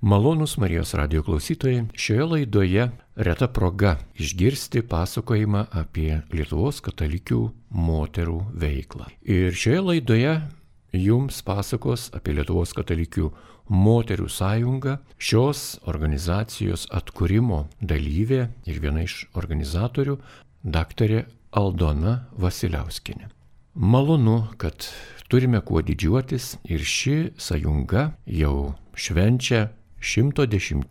Malonūs Marijos radijo klausytojai, šioje laidoje reta proga išgirsti pasakojimą apie Lietuvos katalikių moterų veiklą. Ir šioje laidoje jums pasakos apie Lietuvos katalikių moterų sąjungą, šios organizacijos atkūrimo dalyvė ir viena iš organizatorių, daktarė Aldona Vasiliauskienė. Malonu, kad turime kuo didžiuotis ir ši sąjunga jau švenčia 110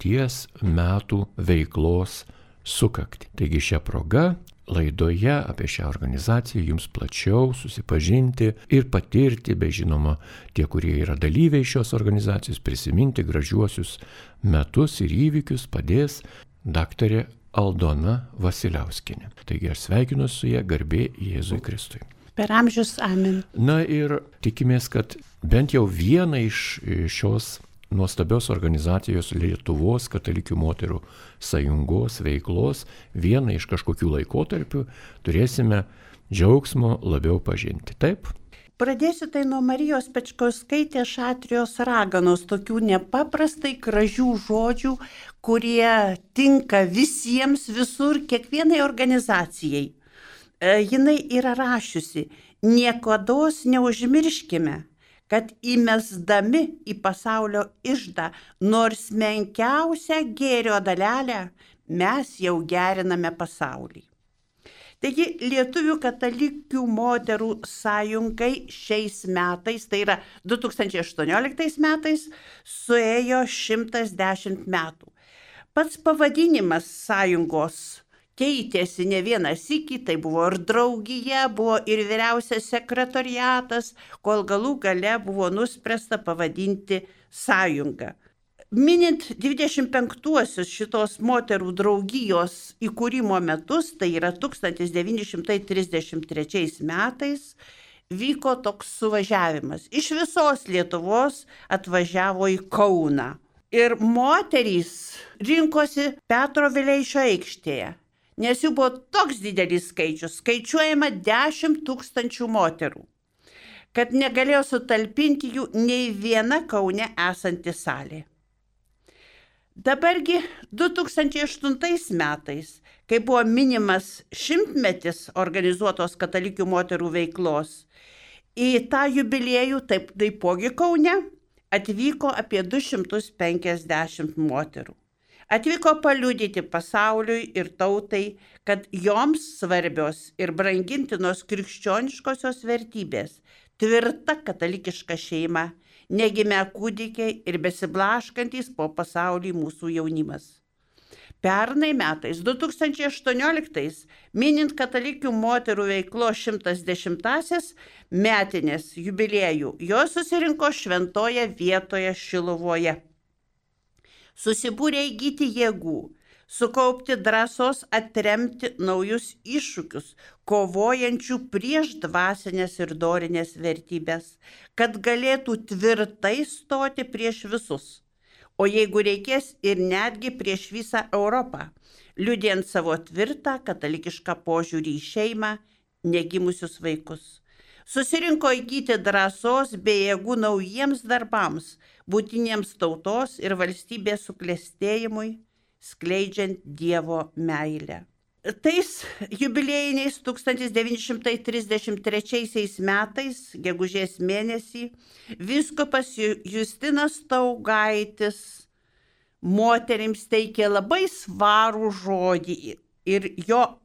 metų veiklos sukaktį. Taigi šią progą laidoje apie šią organizaciją jums plačiau susipažinti ir patirti, bei žinoma, tie, kurie yra dalyviai šios organizacijos, prisiminti gražiuosius metus ir įvykius padės daktarė Aldona Vasiliauskienė. Taigi aš sveikinu su ja, garbė Jėzui Kristui. Per amžius, amen. Na ir tikimės, kad bent jau vieną iš šios nuostabios organizacijos Lietuvos katalikių moterų sąjungos veiklos, vieną iš kažkokių laikotarpių turėsime džiaugsmo labiau pažinti. Taip? Pradėsiu tai nuo Marijos Pečkauskaitės Šatrijos raganos, tokių nepaprastai gražių žodžių, kurie tinka visiems, visur, kiekvienai organizacijai. Jinai yra rašiusi: niekados neužmirškime, kad įmesdami į pasaulio iždą nors menkiausią gėrio dalelę, mes jau geriname pasaulį. Taigi Lietuvių katalikių moterų sąjungai šiais metais, tai yra 2018 metais, suėjo 110 metų. Pats pavadinimas sąjungos keitėsi ne vieną sykį, tai buvo ir draugija, buvo ir vyriausias sekretoriatas, kol galų gale buvo nuspręsta pavadinti sąjungą. Minint 25-uosius šitos moterų draugijos įkūrimo metus, tai yra 1933 metais, vyko toks suvažiavimas. Iš visos Lietuvos atvažiavo į Kauną. Ir moterys rinkosi Petro Vileišio aikštėje. Nes jų buvo toks didelis skaičius, skaičiuojama 10 000 moterų, kad negalėjo sutalpinti jų nei viena Kaune esanti salė. Dabargi 2008 metais, kai buvo minimas 100-metis organizuotos katalikių moterų veiklos, į tą jubiliejų, taipogi Kaune, atvyko apie 250 moterų. Atvyko paliudyti pasauliui ir tautai, kad joms svarbios ir brangintinos krikščioniškosios vertybės, tvirta katalikiška šeima, negimę kūdikiai ir besiblaškantys po pasaulį mūsų jaunimas. Pernai metais, 2018, minint katalikių moterų veiklos 110-asias metinės jubiliejų, jos susirinko šventoje vietoje Šiluvoje. Susibūrė įgyti jėgų, sukaupti drąsos atremti naujus iššūkius, kovojančių prieš dvasinės ir dorinės vertybės, kad galėtų tvirtai stoti prieš visus, o jeigu reikės ir netgi prieš visą Europą, liudijant savo tvirtą katalikišką požiūrį į šeimą, negimusius vaikus. Susirinko įgyti drąsos bei jėgų naujiems darbams, būtiniems tautos ir valstybės suklestėjimui, skleidžiant Dievo meilę. Tais jubiliejiniais 1933 metais, gegužės mėnesį, vyskupas Justinas Staugaitis moterims teikė labai svarų žodį ir jo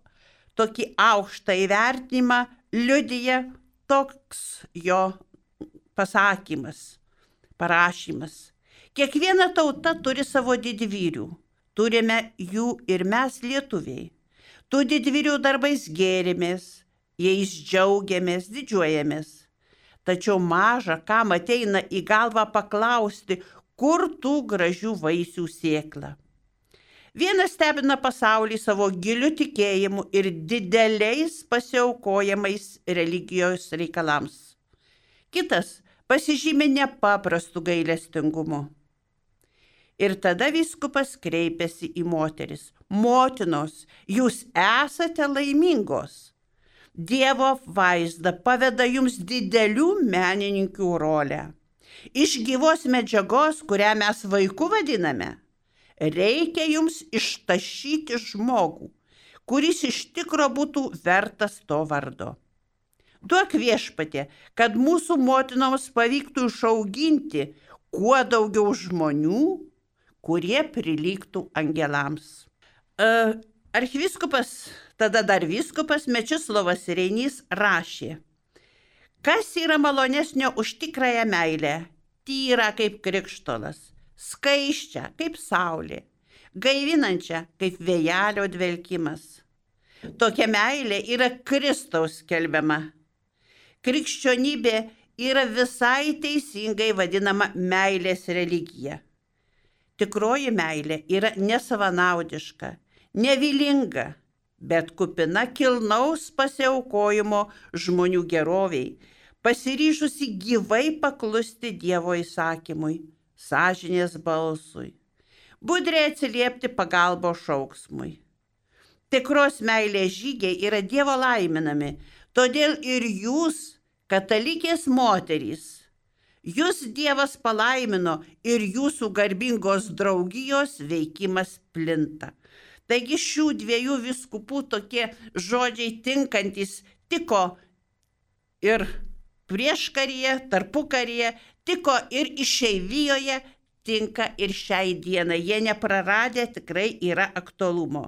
tokį aukštą įvertinimą liudija toks jo pasakymas, parašymas. Kiekviena tauta turi savo didvyrių, turime jų ir mes lietuviai. Tų didvyrių darbais gėrimės, jais džiaugiamės, didžiuojamės. Tačiau maža, kam ateina į galvą paklausti, kur tų gražių vaisių sėkla. Vienas stebina pasaulį savo giliu tikėjimu ir dideliais pasiaukojamais religijos reikalams. Kitas pasižymi nepaprastu gailestingumu. Ir tada vyskupas kreipėsi į moteris. Motinos, jūs esate laimingos. Dievo vaizda paveda jums didelių menininkių rolę. Iš gyvos medžiagos, kurią mes vaiku vadiname, reikia jums ištašyti žmogų, kuris iš tikro būtų vertas to vardo. Duok Viešpatie, kad mūsų motinoms pavyktų išauginti kuo daugiau žmonių, kurie prilygtų angelams. Archivyskupas, tada dar vyskupas Mečislovas Reinys rašė: kas yra malonesnio už tikrąją meilę, tyra kaip krikštolas, skaisčią kaip saulė, gaivinančią kaip vėjelio dvelkimas. Tokia meilė yra Kristaus skelbiama. Krikščionybė yra visai teisingai vadinama meilės religija. Tikroji meilė yra nesavanaudiška, nevilinga, bet kupina kilnaus pasiaukojimo žmonių geroviai, pasiryžusi gyvai paklusti Dievo įsakymui, sąžinės balsui, budriai atsiliepti pagalbos šauksmui. Tikros meilės žygiai yra Dievo laiminami, todėl ir jūs, katalikės moterys, jūs Dievas palaimino ir jūsų garbingos draugijos veikimas plinta. Taigi šių dviejų vyskupų tokie žodžiai tinkantis tiko ir prieškaryje, tarpukaryje, tiko ir išeivijoje, tinka ir šiai dienai. Jie nepraradę tikrai yra aktualumo.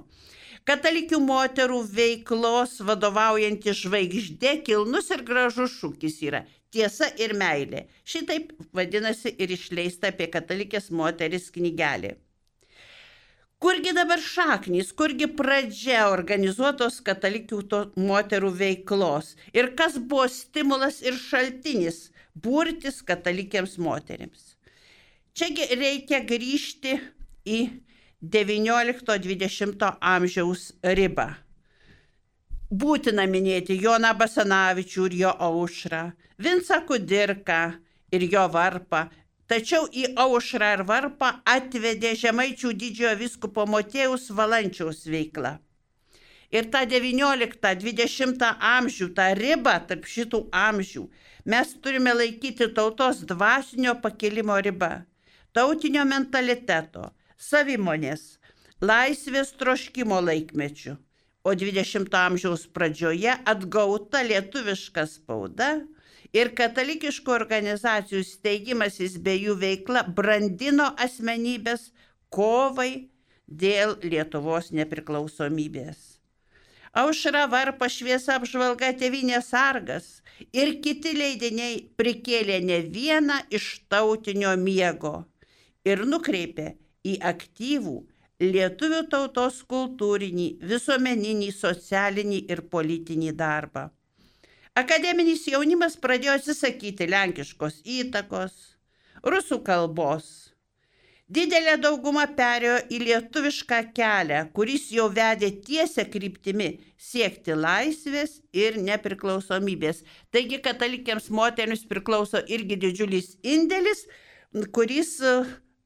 Katalikių moterų veiklos vadovaujanti žvaigždė kilnus ir gražus šūkis yra tiesa ir meilė. Šitaip vadinasi ir išleista apie katalikės moteris knygelė. Kurgi dabar šaknys, kurgi pradžia organizuotos katalikių moterų veiklos ir kas buvo stimulas ir šaltinis burtis katalikėms moterims? Čiagi reikia grįžti į 19-20 amžiaus ribą. Būtina minėti Joną Basanavičių ir jo aušrą, Vincą Kudirką ir jo varpą, tačiau į aušrą ir varpą atvedė Žemaičių didžiojo vyskupo Motiejaus Valančiaus veikla. Ir tą 19-20 amžių, tą ribą tarp šitų amžių, mes turime laikyti tautos dvasinio pakilimo ribą, tautinio mentaliteto, savimonės, laisvės troškimo laikmečių, o 20 amžiaus pradžioje atgauta lietuviška spauda ir katalikiškų organizacijų steigimasis bei jų veikla brandino asmenybės kovai dėl Lietuvos nepriklausomybės. Aušra, varpa, šviesa, apžvalga, Tėvynės sargas ir kiti leidiniai prikėlė ne vieną iš tautinio miego ir nukreipė į aktyvų lietuvių tautos kultūrinį, visuomeninį, socialinį ir politinį darbą. Akademinis jaunimas pradėjo atsisakyti lenkiškos įtakos, rusų kalbos. Didelė dauguma perėjo į lietuvišką kelią, kuris jau vedė tiesia kryptimi siekti laisvės ir nepriklausomybės. Taigi katalikėms moterims priklauso irgi didžiulis indėlis, kuris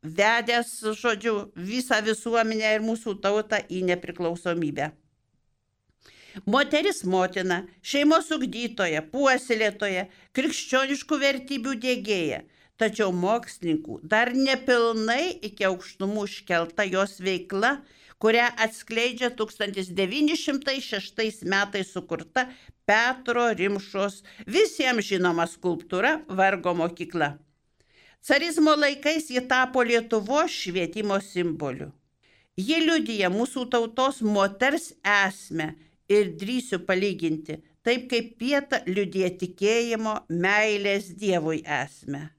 vedęs, žodžiu, visą visuomenę ir mūsų tautą į nepriklausomybę. Moteris motina, šeimos ugdytoja, puoselėtoja, krikščioniškų vertybių diegėja, tačiau mokslininkų dar nepilnai iki aukštumų iškelta jos veikla, kurią atskleidžia 1906 metais sukurta Petro Rimšos visiems žinoma skulptūra Vargo mokykla. Carizmo laikais ji tapo Lietuvos švietimo simboliu. Ji liudija mūsų tautos moters esmę ir drįsiu palyginti, taip kaip Pieta liudija tikėjimo, meilės Dievui esmę.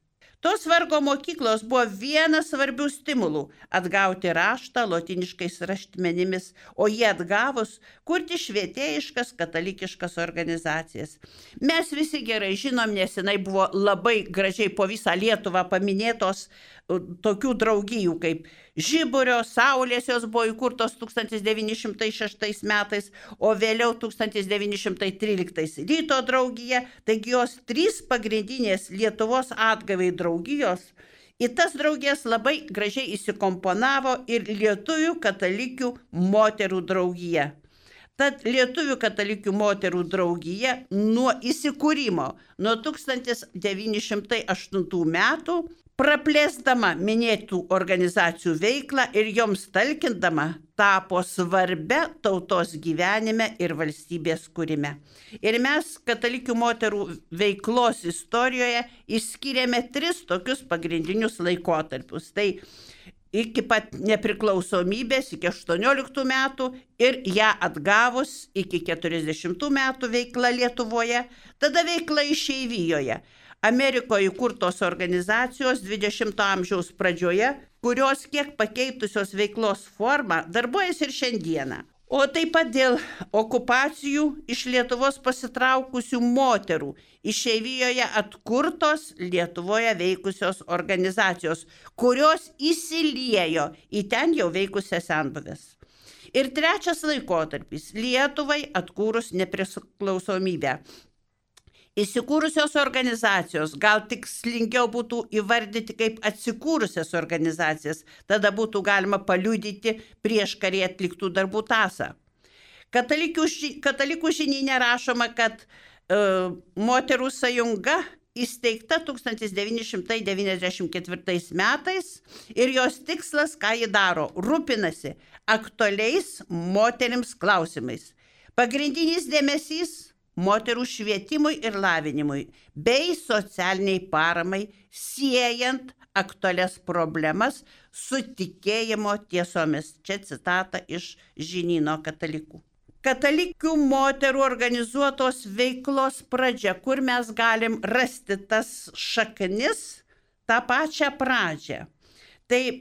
Tos Vargo mokyklos buvo vienas svarbių stimulų atgauti raštą lotyniškais raštmenimis, o jį atgavus kurti švietėjiškas katalikiškas organizacijas. Mes visi gerai žinom, nesenai buvo labai gražiai po visą Lietuvą paminėtos tokių draugijų kaip Žiburio, Saulės, jos buvo įkurtos 1906 metais, o vėliau 1913 Ryto draugija, taigi jos 3 pagrindinės Lietuvos atgavai draugijos. Į tas draugijas labai gražiai įsikomponavo ir lietuvių katalikių moterų draugija. Tad Lietuvių katalikių moterų draugija nuo įsikūrimo, nuo 1908 metų, praplėsdama minėtų organizacijų veiklą ir joms talkindama, tapo svarbia tautos gyvenime ir valstybės kūrime. Ir mes katalikių moterų veiklos istorijoje išskyrėme 3 tokius pagrindinius laikotarpius. Tai iki pat nepriklausomybės, iki 18 metų ir ją atgavus iki 40 metų veikla Lietuvoje, tada veikla išeivijoje. Amerikoje įkurtos organizacijos 20 amžiaus pradžioje, kurios kiek pakeitusios veiklos formą darbuojasi ir šiandieną. O taip pat dėl okupacijų iš Lietuvos pasitraukusių moterų išeivijoje atkurtos Lietuvoje veikusios organizacijos, kurios įsiliejo į ten jau veikusias senbuves. Ir 3 laikotarpis - Lietuvai atkūrus nepriklausomybę. Įsikūrusios organizacijos, gal tikslingiau būtų įvardyti kaip atsikūrusias organizacijas, tada būtų galima paliudyti prieš karį atliktų darbų tąsą. Katalikų žinyne rašoma, kad moterų sąjunga įsteigta 1994 metais ir jos tikslas, ką ji daro, rūpinasi aktualiais moterims klausimais. Pagrindinis dėmesys moterų švietimui ir lavinimui bei socialiniai paramai, siejant aktualias problemas su tikėjimo tiesomis. Čia citata iš žinyno katalikų. Katalikių moterų organizuotos veiklos pradžia, kur mes galim rasti tas šaknis, tą pačią pradžią. Tai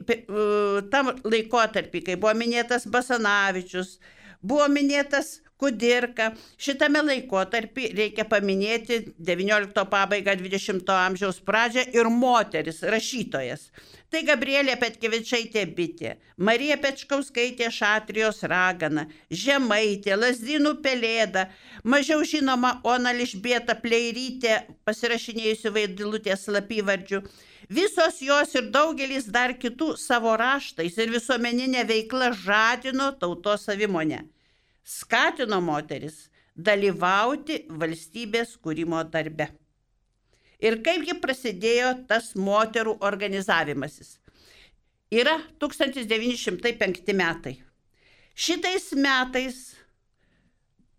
tam laikotarpį, kai buvo minėtas Basanavičius, buvo minėtas Kudirka. Šitame laikotarpį reikia paminėti 19 pabaigą, 20 amžiaus pradžią ir moteris rašytojas. Tai Gabrielė Petkevičaitė Bitė, Marija Pečkauskaitė Šatrijos ragana, Žemaitė, Lazdynų Pelėda, mažiau žinoma Ona Ližbieta Pleirytė, pasirašinėjusi Vaidilutės slapyvardžiu. Visos jos ir daugelis dar kitų savo raštais ir visuomeninė veikla žadino tautos savimonę. Skatino moteris dalyvauti valstybės kūrimo darbe. Ir kaipgi prasidėjo tas moterų organizavimasis. Yra 1905 metai. Šitais metais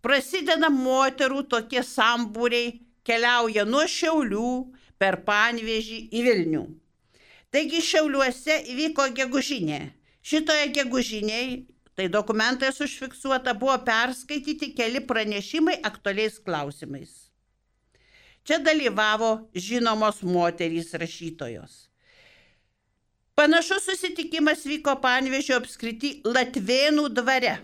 prasideda moterų tokie sambūriai, keliauja nuo Šiaulių per Panevėžį į Vilnių. Taigi Šiauliuose įvyko gegužinė. Šitoje gegužinėje, tai dokumentais užfiksuota, buvo perskaityti keli pranešimai aktualiais klausimais. Čia dalyvavo žinomos moterys rašytojos. Panašus susitikimas vyko Panevėžio apskrity Latvėnų dvare.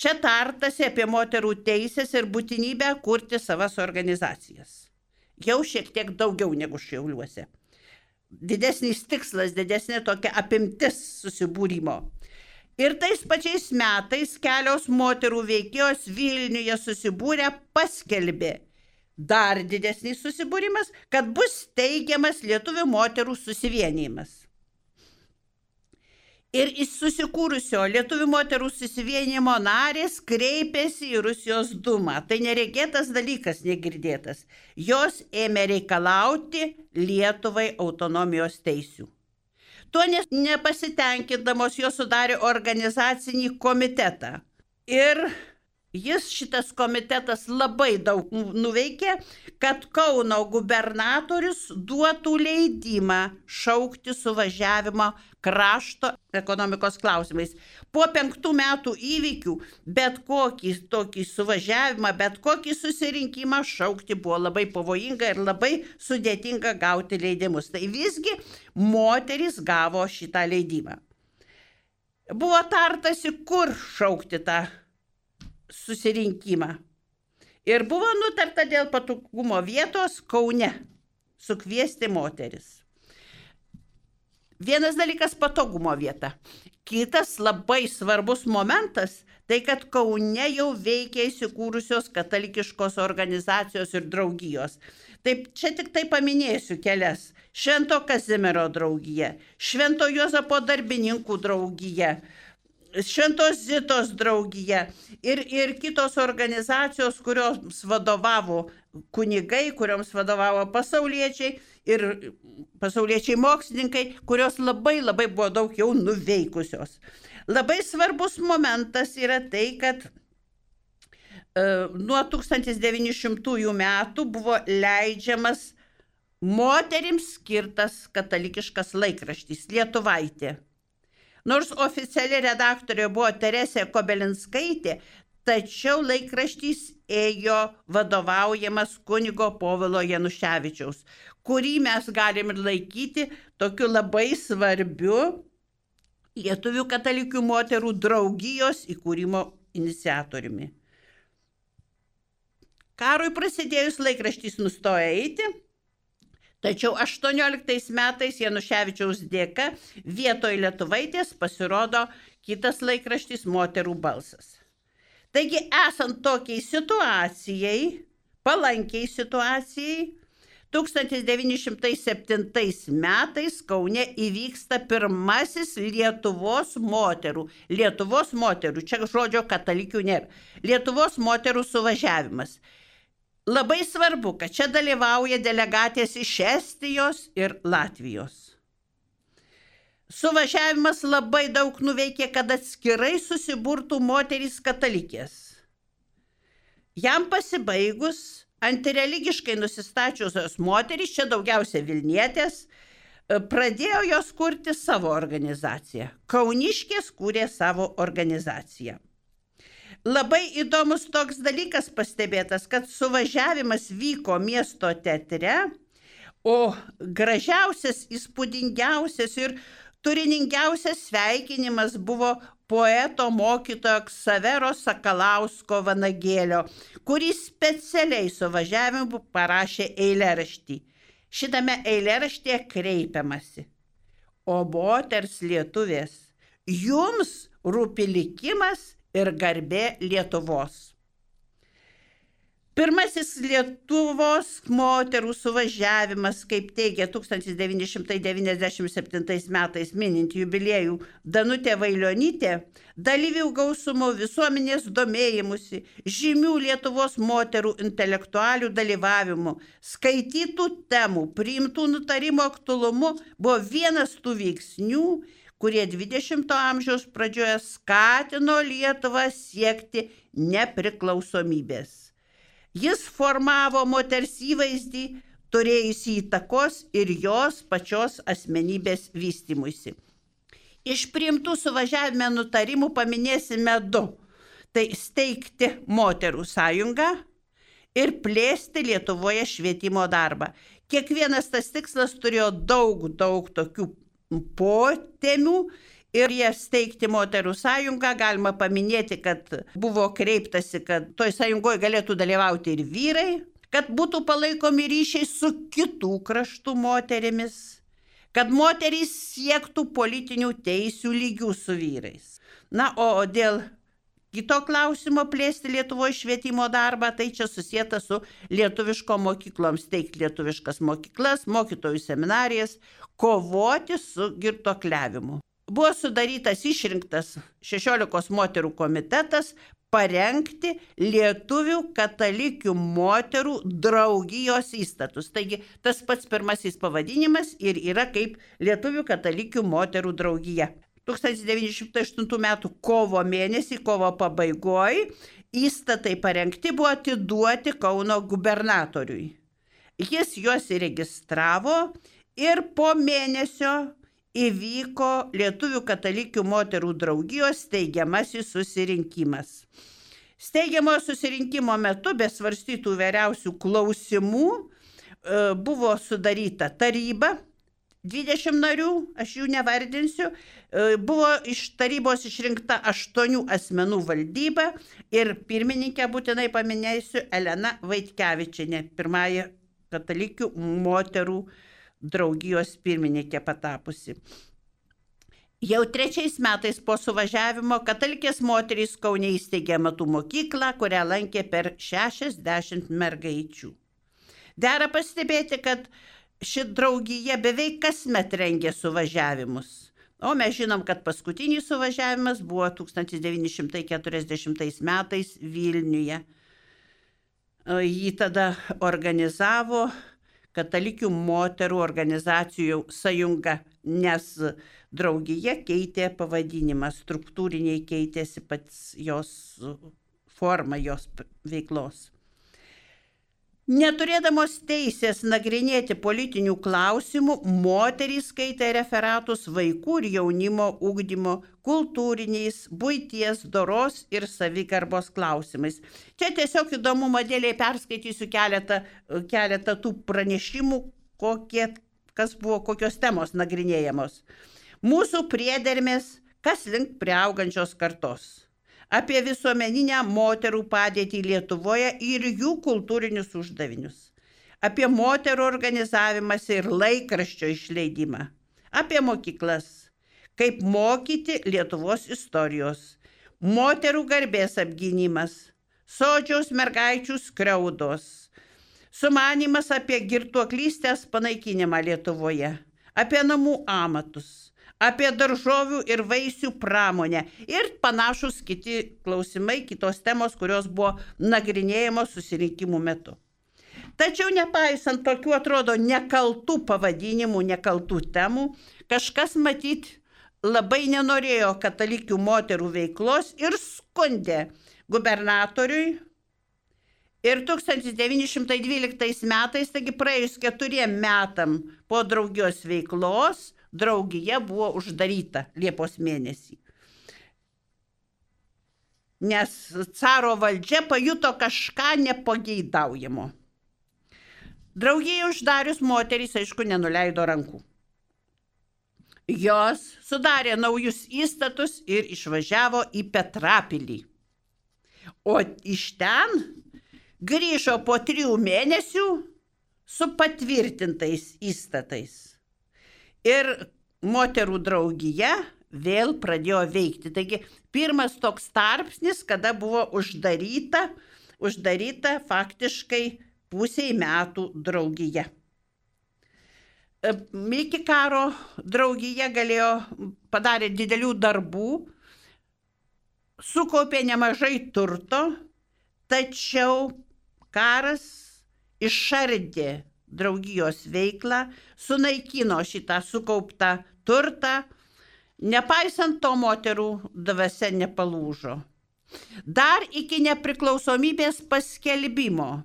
Čia tartasi apie moterų teisės ir būtinybę kurti savas organizacijas. Jau šiek tiek daugiau negu Šiauliuose. Didesnis tikslas, didesnė tokia apimtis susibūrimo. Ir tais pačiais metais kelios moterų veikėjos Vilniuje susibūrę paskelbė dar didesnis susibūrimas, kad bus steigiamas lietuvių moterų susivienijimas. Ir iš susikūrusio lietuvių moterų susivienijimo narės kreipėsi į Rusijos dūmą. Tai neregėtas dalykas, negirdėtas. Jos ėmė reikalauti Lietuvai autonomijos teisių. Tuo nepasitenkindamos jos sudarė organizacinį komitetą. Ir šitas komitetas labai daug nuveikė, kad Kauno gubernatorius duotų leidimą šaukti suvažiavimą krašto ekonomikos klausimais. Po 5 metų įvykių bet kokį tokį suvažiavimą, bet kokį susirinkimą šaukti buvo labai pavojinga ir labai sudėtinga gauti leidimus. Tai visgi moterys gavo šitą leidimą. Buvo tartasi, kur šaukti tą susirinkimą. Ir buvo nutarta dėl patogumo vietos Kaune sukviesti moteris. Vienas dalykas - patogumo vieta. Kitas labai svarbus momentas - tai, kad Kaune jau veikia įsikūrusios katalikiškos organizacijos ir draugijos. Taip, čia tik tai paminėsiu kelias. Švento Kazimiero draugija, Švento Juozapo darbininkų draugija, Šventos Zitos draugija ir kitos organizacijos, kurioms vadovavo kunigai, kurioms vadovavo pasauliečiai ir pasauliečiai mokslininkai, kurios labai buvo daug jau nuveikusios. Labai svarbus momentas yra tai, kad nuo 1900 metų buvo leidžiamas moterims skirtas katalikiškas laikraštis Lietuvaitė. Nors oficiali redaktorė buvo Teresė Kobelinskaitė, tačiau laikraštys ėjo vadovaujamas kunigo Povilo Januševičiaus, kurį mes galim ir laikyti tokiu labai svarbiu Lietuvių katalikių moterų draugijos įkūrimo iniciatoriumi. Karui prasidėjus laikraštys nustojo eiti, tačiau 18 metais Januševičiaus dėka vietoj Lietuvaitės pasirodo kitas laikraštis Moterų balsas. Taigi, esant tokiai situacijai, palankiai situacijai, 1907 metais Kaune įvyksta pirmasis Lietuvos moterų, čia žodžio katalikių nėra, Lietuvos moterų suvažiavimas. Labai svarbu, kad čia dalyvauja delegatės iš Estijos ir Latvijos. Suvažiavimas labai daug nuveikė, kad atskirai susiburtų moterys katalikės. Jam pasibaigus, antireligiškai nusistačiusios moterys, čia daugiausia Vilnietės, pradėjo jos kurti savo organizaciją. Kauniškės kūrė savo organizaciją. Labai įdomus toks dalykas pastebėtas, kad suvažiavimas vyko miesto teatre, o gražiausias, įspūdingiausias ir turiningiausias sveikinimas buvo poeto mokytojo Ksavero Sakalausko Vanagėlio, kuris specialiai suvažiavimu parašė eilėraštį. Šitame eilėraštyje kreipiamasi: o moters lietuvės, jums rūpi likimas ir garbė Lietuvos. Pirmasis Lietuvos moterų suvažiavimas, kaip teigia 1997 metais minint jubiliejų Danutė Vailionytė, dalyvių gausumo, visuomenės domėjimusi, žymių Lietuvos moterų intelektualių dalyvavimu, skaitytų temų, priimtų nutarimo aktualumu buvo vienas tų veiksnių, kurie 20 amžiaus pradžioje skatino Lietuvą siekti nepriklausomybės. Jis formavo moters įvaizdį, turėjusi įtakos ir jos pačios asmenybės vystymuisi. Iš priimtų suvažiavime nutarimų paminėsime 2. Tai steigti moterų sąjungą ir plėsti Lietuvoje švietimo darbą. Kiekvienas tas tikslas turėjo daug tokių potemių. Ir jie steigti moterų sąjungą, galima paminėti, kad buvo kreiptasi, kad toj sąjungoje galėtų dalyvauti ir vyrai, kad būtų palaikomi ryšiai su kitų kraštų moterimis, kad moterys siektų politinių teisių lygių su vyrais. Na, o dėl kito klausimo plėsti Lietuvoje švietimo darbą, tai čia susieta su lietuviško mokyklom, steigti lietuviškas mokyklas, mokytojų seminarijas, kovoti su girtuokliavimu. Buvo sudarytas išrinktas 16 moterų komitetas parengti lietuvių katalikių moterų draugijos įstatus. Taigi tas pats pirmasis pavadinimas ir yra kaip lietuvių katalikių moterų draugija. 1908 metų kovo mėnesį, kovo pabaigoje, įstatai parengti buvo atiduoti Kauno gubernatoriui. Jis juos įregistravo ir po mėnesio įvyko Lietuvių katalikių moterų draugijos steigiamasis susirinkimas. Steigiamojo susirinkimo metu, be svarstytų įvairiausių klausimų, buvo sudaryta taryba, 20 narių, aš jų nevardinsiu, buvo iš tarybos išrinkta 8 asmenų valdyba ir pirmininkę būtinai paminėsiu Elena Vaitkevičienė, pirmąją katalikių moterų draugijos pirmininkė patapusi. Jau 3 metais po suvažiavimo katalikės moterys Kaune įsteigė amatų mokyklą, kurią lankė per 60 mergaičių. Dera pastebėti, kad ši draugija beveik kasmet rengė suvažiavimus. O mes žinom, kad paskutinis suvažiavimas buvo 1940 metais Vilniuje. Jį tada organizavo Katalikių moterų organizacijų sąjunga, nes draugija keitė pavadinimą, struktūriniai keitėsi pats jos forma, jos veiklos. Neturėdamos teisės nagrinėti politinių klausimų, moterys skaitė referatus vaikų ir jaunimo ugdymo, kultūriniais, buities, doros ir savigarbos klausimais. Čia tiesiog įdomumo dėliai perskaitysiu keletą tų pranešimų, kas buvo, kokios temos nagrinėjamos. Mūsų priedermės, kas link priaugančios kartos. Apie visuomeninę moterų padėtį Lietuvoje ir jų kultūrinius uždavinius. Apie moterų organizavimąsi ir laikraščio išleidimą. Apie mokyklas. Kaip mokyti Lietuvos istorijos. Moterų garbės apgynimas. Sodžiaus mergaičių skriaudos. Sumanymas apie girtuoklystės panaikinimą Lietuvoje. Apie namų amatus. Apie daržovių ir vaisių pramonę ir panašus kiti klausimai, kitos temos, kurios buvo nagrinėjamos susirinkimų metu. Tačiau nepaisant tokių atrodo nekaltų pavadinimų, nekaltų temų, kažkas matyt labai nenorėjo katalikių moterų veiklos ir skundė gubernatoriui. Ir 1912 metais, taigi praėjus 4 metam po draugijos veiklos, draugija buvo uždaryta Liepos mėnesį. Nes caro valdžia pajuto kažką nepageidaujamo. Draugijai uždarius moterys, aišku, nenuleido rankų. Jos sudarė naujus įstatus ir išvažiavo į Petrapilį. O iš ten grįžo po 3 mėnesių su patvirtintais įstatais. Ir moterų draugija vėl pradėjo veikti. Taigi pirmas toks tarpsnis, kada buvo uždaryta faktiškai pusei metų draugija. Iki karo draugija padarė didelių darbų, sukaupė nemažai turto, tačiau karas išardė draugijos veiklą, sunaikino šitą sukauptą turtą, nepaisant to moterų dvasia nepalūžo. Dar iki nepriklausomybės paskelbimo,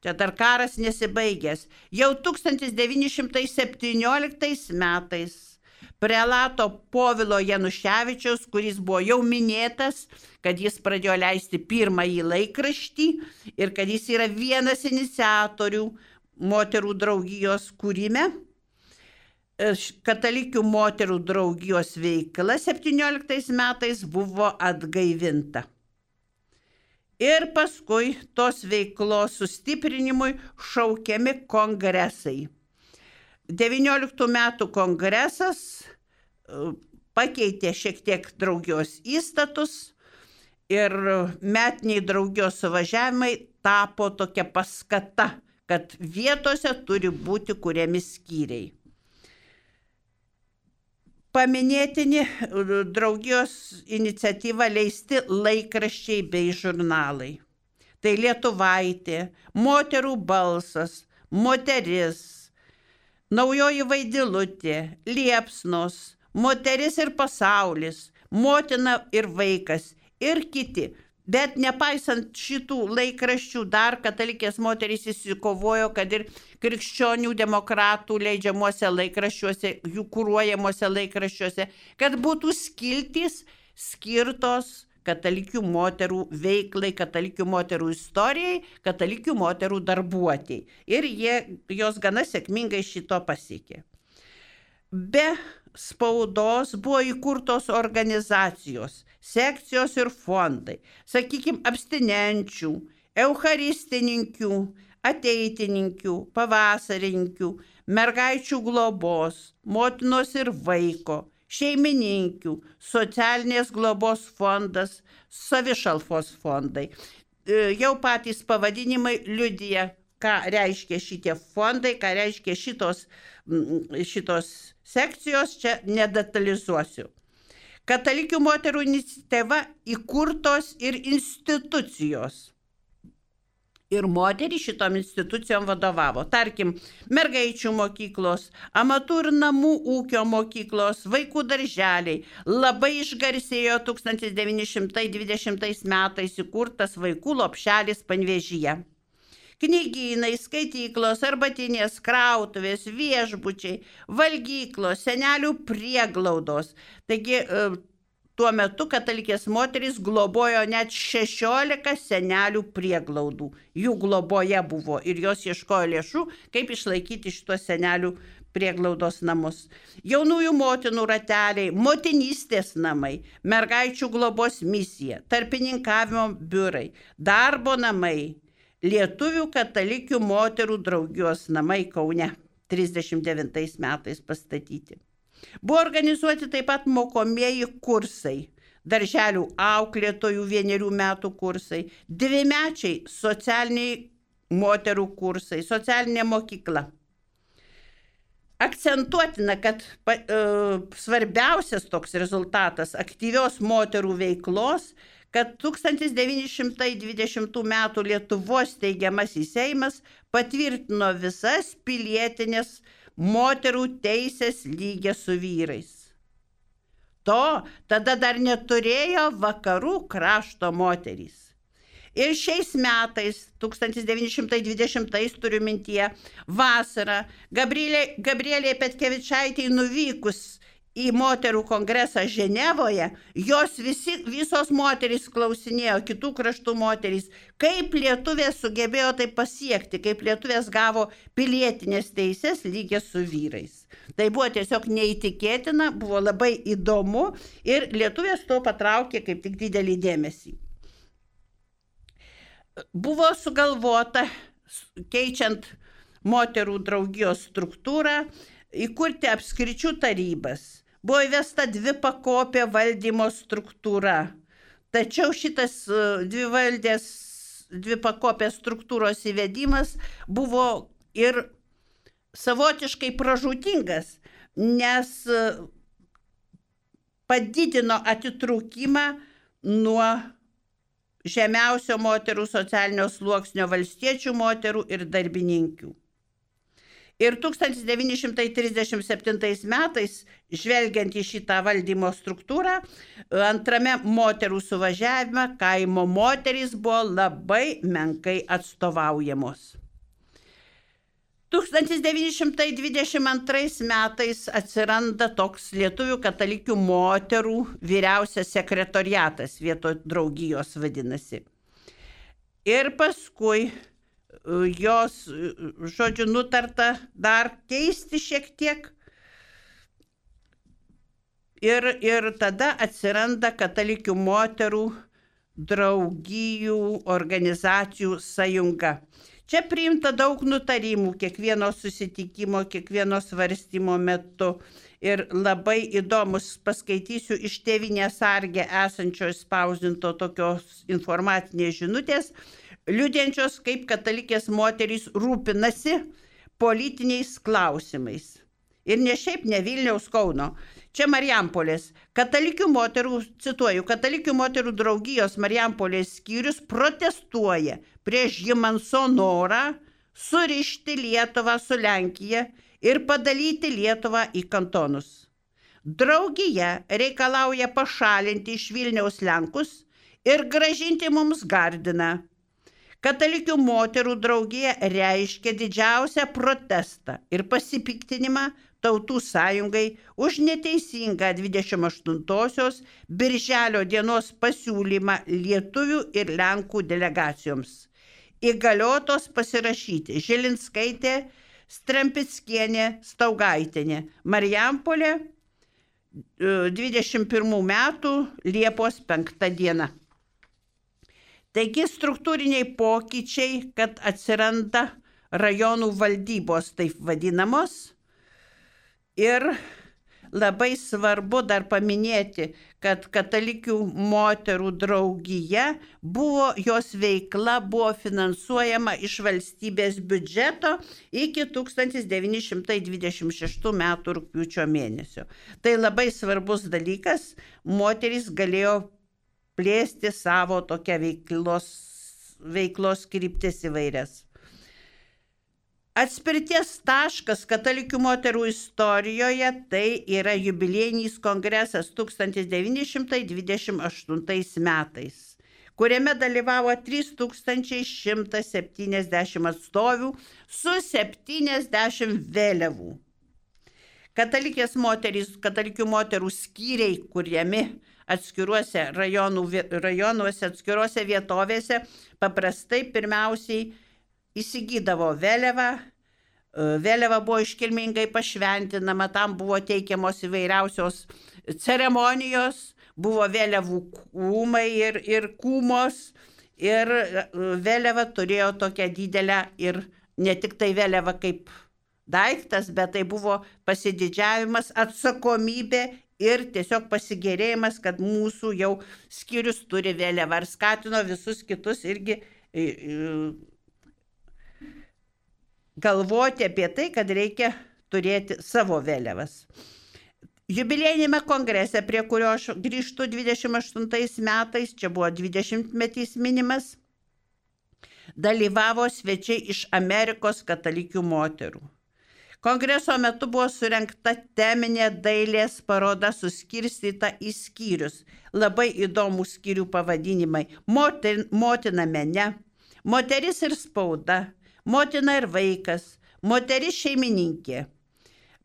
čia dar karas nesibaigęs, jau 1917 metais prelato Povilo Januševičiaus, kuris buvo jau minėtas, kad jis pradėjo leisti pirmąjį laikraštį ir kad jis yra vienas iniciatorių moterų draugijos kūrime. Katalikių moterų draugijos veikla 17 metais buvo atgaivinta. Ir paskui tos veiklos sustiprinimui šaukiami kongresai. 19 metų kongresas pakeitė šiek tiek draugijos įstatus ir metiniai draugijos suvažiavimai tapo tokia paskata, kad vietose turi būti kuriami skyriai. Paminėtini draugijos iniciatyva leisti laikraščiai bei žurnalai. Tai Lietuvaitė, Moterų balsas, Moteris, Naujoji Vaidilutė, Liepsnos, Moteris ir pasaulis, Motina ir vaikas ir kiti. Bet nepaisant šitų laikraščių, dar katalikės moterys įsikovojo, kad ir krikščionių demokratų leidžiamuose laikraščiuose, jų kūruojamuose laikraščiuose, kad būtų skiltys skirtos katalikių moterų veiklai, katalikių moterų istorijai, katalikių moterų darbuotėjai. Ir jos gana sėkmingai šito pasiekė. Be spaudos buvo įkurtos organizacijos, sekcijos ir fondai, sakykime, abstinenčių, eucharistininkių, ateitininkių, pavasarininkių, mergaičių globos, motinos ir vaiko, šeimininkių, socialinės globos fondas, savišalpos fondai. Jau patys pavadinimai liudija, ką reiškia šitie fondai, ką reiškia šitos sekcijos čia nedetalizuosiu. Katalikių moterų iniciatyva įkurtos ir institucijos. Ir moterys šitom institucijom vadovavo. Tarkim, mergaičių mokyklos, amatų ir namų ūkio mokyklos, vaikų darželiai. Labai išgarsėjo 1920 metais įkurtas vaikų lopšelis Panevėžyje. Knygynai, skaityklos, arbatinės, krautuvės, viešbučiai, valgyklos, senelių prieglaudos. Taigi, tuo metu katalikės moterys globojo net 16 senelių prieglaudų. Jų globoje buvo ir jos ieškojo lėšų, kaip išlaikyti šitos senelių prieglaudos namus. Jaunųjų motinų rateliai, motinystės namai, mergaičių globos misija, tarpininkavimo biurai, darbo namai, Lietuvių katalikių moterų draugijos namai Kaune 39 metais pastatyti. Buvo organizuoti taip pat mokomieji kursai, darželių auklėtojų 1 metų kursai, 2-mečiai socialiniai moterų kursai, socialinė mokykla. Akcentuotina, kad svarbiausias toks rezultatas aktyvios moterų veiklos, kad 1920 metų Lietuvos steigiamasis Seimas patvirtino visas pilietinės moterų teisės lygia su vyrais. To tada dar neturėjo vakarų krašto moterys. Ir šiais metais, 1920 turiu mintyje, vasarą, Gabrielei Petkevičaitei nuvykus į moterų kongresą Ženevoje, jos visos moterys klausinėjo, kitų kraštų moterys, kaip lietuvės sugebėjo tai pasiekti, kaip lietuvės gavo pilietinės teisės lygias su vyrais. Tai buvo tiesiog neįtikėtina, buvo labai įdomu ir lietuvės to patraukė kaip tik didelį dėmesį. Buvo sugalvota, keičiant moterų draugijos struktūrą, įkurti apskričių tarybas. Buvo įvesta 2-pakopė valdymo struktūra. Tačiau šitas 2-pakopės struktūros įvedimas buvo ir savotiškai pražūtingas, nes padidino atitrūkimą nuo žemiausio moterų socialinio sluoksnio valstiečių moterų ir darbininkių. Ir 1937 metais, žvelgiant į šitą valdymo struktūrą, antrame moterų suvažiavime kaimo moterys buvo labai menkai atstovaujamos. 1922 metais atsiranda toks Lietuvių katalikių moterų vyriausias sekretoriatas, vietoj draugijos vadinasi. Ir paskui jos, žodžiu, nutarta dar keisti šiek tiek. Ir tada atsiranda katalikių moterų draugijų organizacijų sąjunga. Čia priimta daug nutarimų kiekvieno susitikimo, kiekvieno svarstymo metu. Ir labai įdomus, paskaitysiu iš Tėvynės sarge esančio spausdinto tokios informacinės žinutės, liudiančios, kaip katalikės moterys rūpinasi politiniais klausimais. Ir ne šiaip ne Vilniaus, Kauno. Čia Marijampolės. Katalikių moterų, cituoju, Katalikių moterų draugijos Marijampolės skyrius protestuoja prieš Jimanso norą surišti Lietuvą su Lenkija ir padalyti Lietuvą į kantonus. Draugija reikalauja pašalinti iš Vilniaus Lenkus ir grąžinti mums Gardiną. Katalikių moterų draugija reiškia didžiausią protestą ir pasipiktinimą Tautų sąjungai už neteisingą 28-osios Birželio dienos pasiūlymą lietuvių ir lenkų delegacijoms. Įgaliotos pasirašyti Žilinskaitė, Strempickienė, Staugaitienė. Marijampolė 21 metų Liepos 5 diena. Taigi struktūriniai pokyčiai, kad atsiranda rajonų valdybos taip vadinamos ir labai svarbu dar paminėti, kad katalikių moterų draugija jos veikla buvo finansuojama iš valstybės biudžeto iki 1926 metų rugpjūčio mėnesio. Tai labai svarbus dalykas, moterys galėjo plėsti savo tokią veiklos kryptis įvairias. Atspirties taškas katalikių moterų istorijoje tai yra jubiliejinis kongresas 1928 metais, kuriame dalyvavo 3170 atstovių su 70 vėliavų. Katalikių moterų skyriai, kuriami atskiruose rajonuose, atskiruose vietovėse, paprastai pirmiausiai įsigydavo vėliavą. Vėliava buvo iškilmingai pašventinama, tam buvo teikiamos įvairiausios ceremonijos, buvo vėliavų kūmai ir kūmos, ir vėliava turėjo tokią didelę ir ne tik tai vėliava kaip daiktas, bet tai buvo pasididžiavimas, atsakomybė ir tiesiog pasigėrėjimas, kad mūsų jau skyrius turi vėliavą, ir skatino visus kitus irgi galvoti apie tai, kad reikia turėti savo vėliavas. Jubiliejinėme kongrese, prie kurio aš grįžtu 28 metais, čia buvo 20-metys minimas, dalyvavo svečiai iš Amerikos katalikių moterų. Kongreso metu buvo surengta teminė dailės paroda suskirstyta į skyrius. Labai įdomūs skyrių pavadinimai: motina mene, moteris ir spauda, motina ir vaikas, moteris šeimininkė.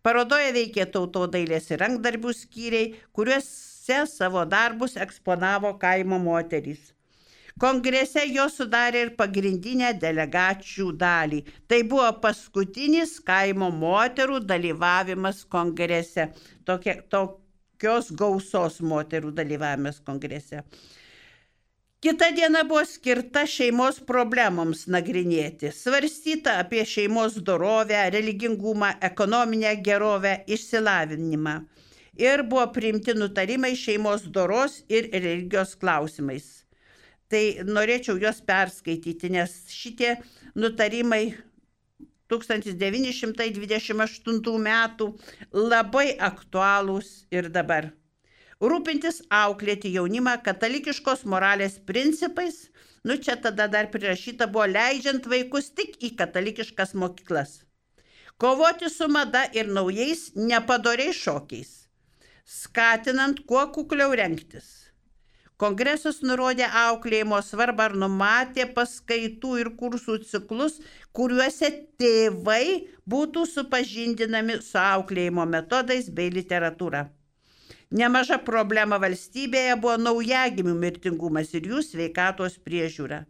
Parodoje veikė tautodailės ir rankdarbių skyriai, kuriuose savo darbus eksponavo kaimo moterys. Kongrese jo sudarė ir pagrindinę delegačių dalį. Tai buvo paskutinis kaimo moterų dalyvavimas kongrese. Tokios gausos moterų dalyvavimas kongrese. Kita diena buvo skirta šeimos problemoms nagrinėti. Svarstyta apie šeimos dorovę, religingumą, ekonominę gerovę, išsilavinimą. Ir buvo priimti nutarimai šeimos doros ir religijos klausimais. Tai norėčiau juos perskaityti, nes šitie nutarimai 1928 metų labai aktualūs ir dabar. Rūpintis auklėti jaunimą katalikiškos moralės principais, čia tada dar prirašyta buvo, leidžiant vaikus tik į katalikiškas mokyklas. Kovoti su mada ir naujais nepadoriais šokiais, skatinant kuo kukliau rengtis. Kongresas nurodė auklėjimo svarbą ir numatė paskaitų ir kursų ciklus, kuriuose tėvai būtų supažindinami su auklėjimo metodais bei literatūra. Nemaža problema valstybėje buvo naujagimių mirtingumas ir jų sveikatos priežiūra.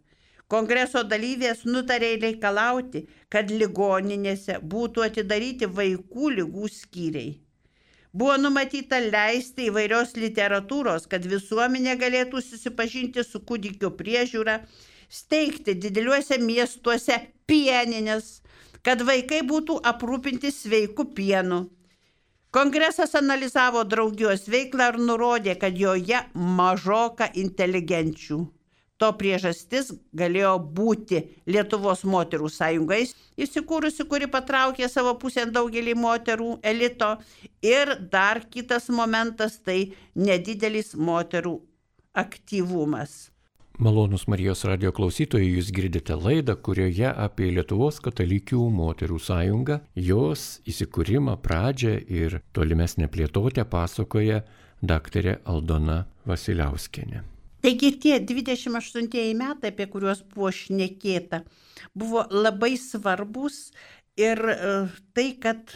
Kongreso dalyvės nutarė reikalauti, kad ligoninėse būtų atidaryti vaikų ligų skyriai. Buvo numatyta leisti įvairios literatūros, kad visuomenė galėtų susipažinti su kūdikio priežiūra, steigti dideliuose miestuose pieninės, kad vaikai būtų aprūpinti sveiku pienu. Kongresas analizavo draugijos veiklą ir nurodė, kad joje mažoka inteligenčių. To priežastis galėjo būti Lietuvos moterų sąjungais įsikūrusi, kuri patraukė savo pusėn daugelį moterų elito. Ir dar kitas momentas, tai nedidelis moterų aktyvumas. Malonūs Marijos radijo klausytojai, jūs girdite laidą, kurioje apie Lietuvos katalikių moterų sąjungą, jos įsikūrimą, pradžią ir tolimesnę plėtotę pasakoja daktarė Aldona Vasiliauskienė. Taigi tie 28 metai, apie kuriuos buvo šnekėta, buvo labai svarbus ir tai, kad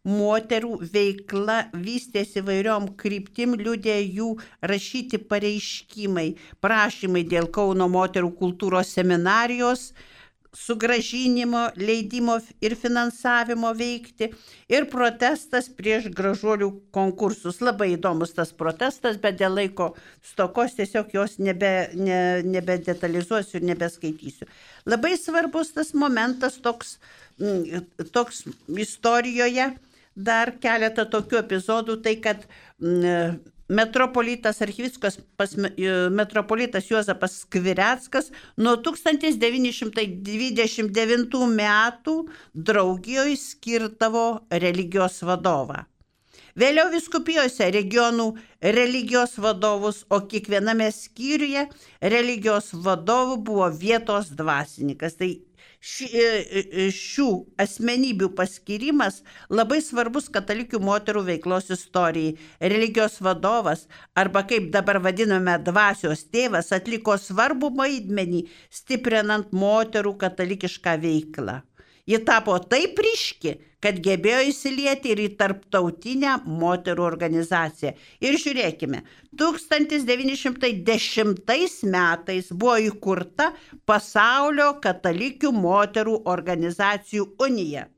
moterų veikla vystėsi įvairiom kryptim, liudė jų rašyti pareiškimai, prašymai dėl Kauno moterų kultūros seminarijos sugrąžinimo, leidimo ir finansavimo veikti ir protestas prieš gražuolių konkursus. Labai įdomus tas protestas, bet dėl laiko stokos tiesiog jos nebedetalizuosiu ir nebeskaitysiu. Labai svarbus tas momentas toks istorijoje. dar keletą tokių epizodų, tai kad metropolitas Archivyskupas metropolitas Juozapas Skvireckas nuo 1929 metų draugijoje skirdavo religijos vadovą. Vėliau vyskupijose regionų religijos vadovus, o kiekviename skyriuje religijos vadovų buvo vietos dvasininkas. Tai šių asmenybių paskyrimas labai svarbus katalikių moterų veiklos istorijai. Religijos vadovas, arba kaip dabar vadiname dvasios tėvas, atliko svarbų vaidmenį stiprinant moterų katalikišką veiklą. Ji tapo taip ryški, kad gebėjo įsilieti ir į tarptautinę moterų organizaciją. Ir žiūrėkime, 1910 metais buvo įkurta Pasaulio katalikių moterų organizacijų unija.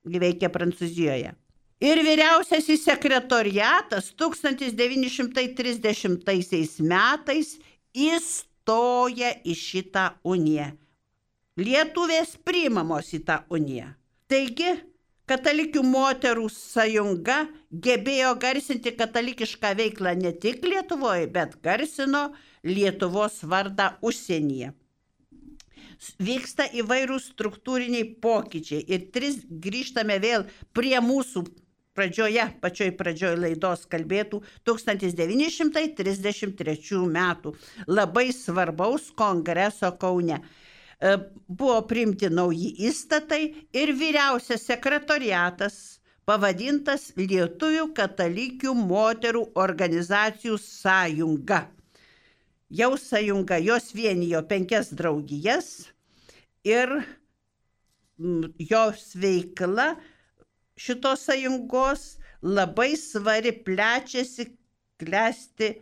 Ji veikia Prancūzijoje. Ir vyriausiasis sekretoriatas 1930 metais įstoja į šitą uniją. Lietuvės priimamos į tą uniją. Taigi, katalikių moterų sąjunga gebėjo garsinti katalikišką veiklą ne tik Lietuvoje, bet garsino Lietuvos vardą užsienyje. Vyksta įvairūs struktūriniai pokyčiai ir grįžtame vėl prie mūsų pačioj pradžioj laidos kalbėtų 1933 metų labai svarbaus kongreso Kaune. Buvo priimti nauji įstatai ir vyriausias sekretoriatas pavadintas Lietuvių katalikių moterų organizacijų sąjunga. Jau sąjunga, jos vienijo 5 draugijas ir jos veikla šitos sąjungos labai svari, plečiasi, klesti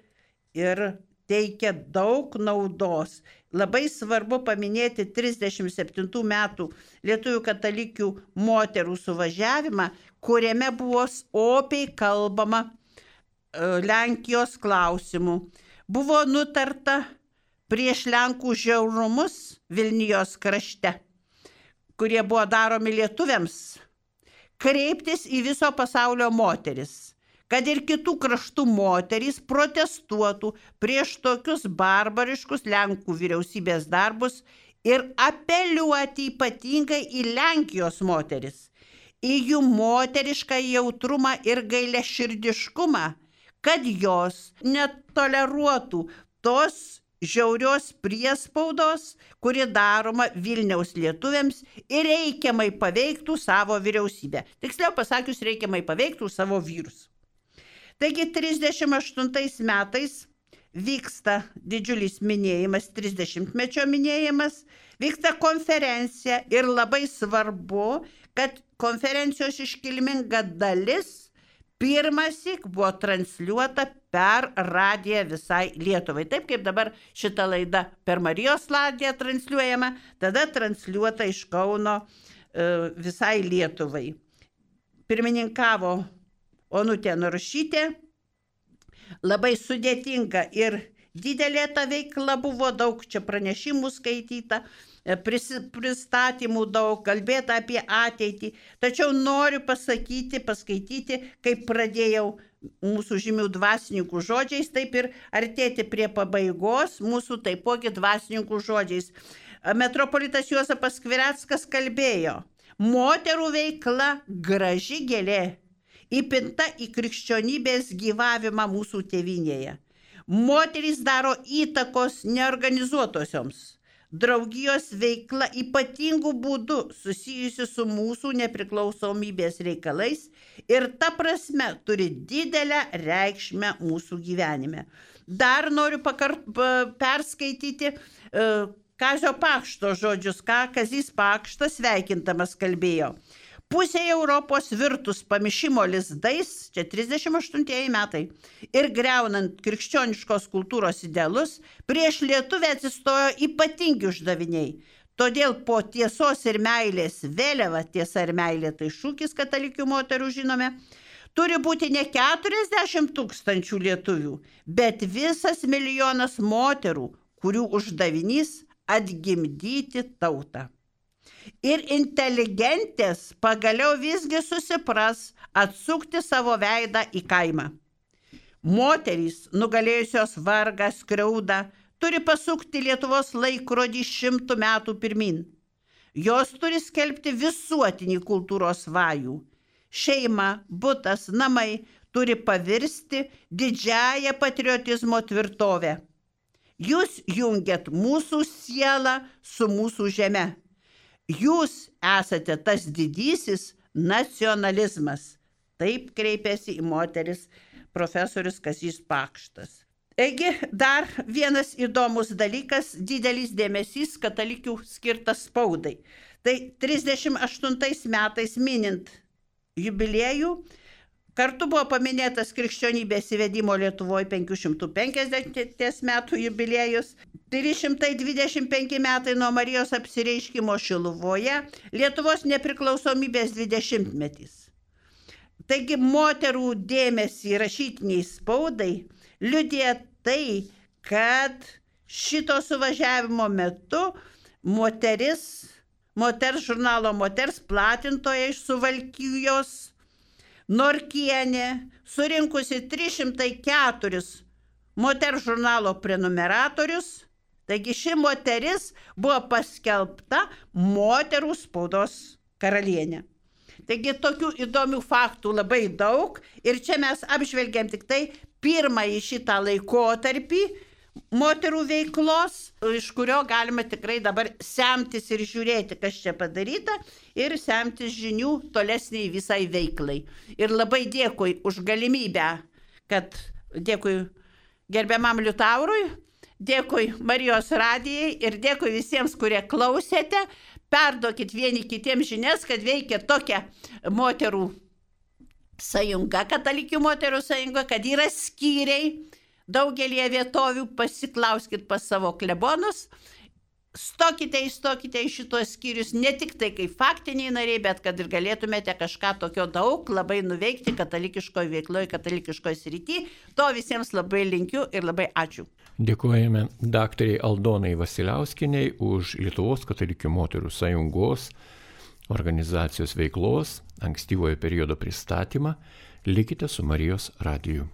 ir teikia daug naudos. Labai svarbu paminėti 37 metų Lietuvių katalikių moterų suvažiavimą, kuriame buvo opiai kalbama Lenkijos klausimų. Buvo nutarta prieš Lenkų žiaurumus Vilnijos krašte, kurie buvo daromi lietuviams, kreiptis į viso pasaulio moteris, kad ir kitų kraštų moterys protestuotų prieš tokius barbariškus Lenkų vyriausybės darbus ir apeliuoti ypatingai į Lenkijos moteris, į jų moterišką jautrumą ir gailiaširdiškumą, kad jos netoleruotų tos žiaurios priespaudos, kuri daroma Vilniaus lietuviams ir reikiamai paveiktų savo vyriausybę. Tiksliau pasakius, reikiamai paveiktų savo vyrus. Taigi 38 metais vyksta didžiulis minėjimas, 30-mečio minėjimas, vyksta konferencija ir labai svarbu, kad konferencijos iškilminga dalis pirmąsyk buvo transliuota per radiją visai Lietuvai. Taip kaip dabar šita laida per Marijos radiją transliuojama, tada transliuota iš Kauno visai Lietuvai. Pirmininkavo Onutė Narušytė, labai sudėtinga ir didelė ta veikla buvo, daug čia pranešimų skaityta, pristatymų daug, kalbėta apie ateitį. Tačiau noriu paskaityti, kaip pradėjau mūsų žymių dvasininkų žodžiais, taip ir artėti prie pabaigos mūsų taipogi dvasininkų žodžiais. Metropolitas Juozapas Skvireckas kalbėjo: moterų veikla graži gėlė, įpinta į krikščionybės gyvavimą mūsų tėvynėje. Moterys daro įtakos neorganizuotosioms. Draugijos veikla ypatingų būdų susijusi su mūsų nepriklausomybės reikalais ir ta prasme turi didelę reikšmę mūsų gyvenime. Dar noriu perskaityti Kazio Pakšto žodžius, ką Kazys Pakštas sveikintamas kalbėjo. Pusė Europos virtus pamišimo lizdais, čia 38 metai, ir greunant krikščioniškos kultūros idealus, prieš lietuvę atsistojo ypatingi uždaviniai. Todėl po tiesos ir meilės vėliava, tiesa ir meilė tai šūkis katalikių moterų žinome, turi būti ne 40 000 lietuvių, bet visas 1 milijonas moterų, kurių uždavinys atgimdyti tautą. Ir inteligentės pagaliau visgi susipras atsukti savo veidą į kaimą. Moterys, nugalėjusios vargą, skriaudą, turi pasukti Lietuvos laikrodį 100 metų pirmin. Jos turi skelbti visuotinį kultūros vajų. Šeima, butas, namai turi pavirsti didžiąją patriotizmo tvirtovę. Jūs jungiat mūsų sielą su mūsų žeme. Jūs esate tas didysis nacionalizmas. Taip kreipėsi į moteris profesorius Kazys Pakštas. Taigi dar vienas įdomus dalykas, didelis dėmesys katalikių skirtas spaudai. Tai 38 metais minint jubiliejų, kartu buvo paminėtas krikščionybės įvedimo Lietuvoje 550 metų jubiliejus, 325 metai nuo Marijos apsireiškimo Šiluvoje, Lietuvos nepriklausomybės 20-metis. Taigi moterų dėmesį rašytiniai spaudai liudija tai, kad šito suvažiavimo metu moters žurnalo Moters platintoja iš Suvalkijos Norkienė, surinkusi 304 moters žurnalo prenumeratorius, taigi ši moteris buvo paskelbta moterų spaudos karalienė. Taigi tokių įdomių faktų labai daug ir čia mes apžvelgiam tik tai pirmąjį šitą laikotarpį moterų veiklos, iš kurio galima tikrai dabar semtis ir žiūrėti, kas čia padaryta ir semtis žinių tolesniai visai veiklai. Ir labai dėkui už galimybę, dėkui gerbiamam Liutaurui, dėkui Marijos radijai ir dėkui visiems, kurie klausėte. Perduokit vieni kitiems žinias, kad veikia tokia moterų sąjunga, katalikių moterų sąjunga, kad yra skyriai daugelie vietovių, pasiklauskit pas savo klebonus, įstokite į šitos skyrius, ne tik tai kaip faktiniai nariai, bet kad ir galėtumėte kažką tokio daug labai nuveikti katalikiškoje veikloje, katalikiškoje srity. To visiems labai linkiu ir labai ačiū. Dėkojame daktarei Aldonai Vasiliauskienei už Lietuvos katalikių moterų sąjungos organizacijos veiklos ankstyvojo periodo pristatymą. Likite su Marijos radiju.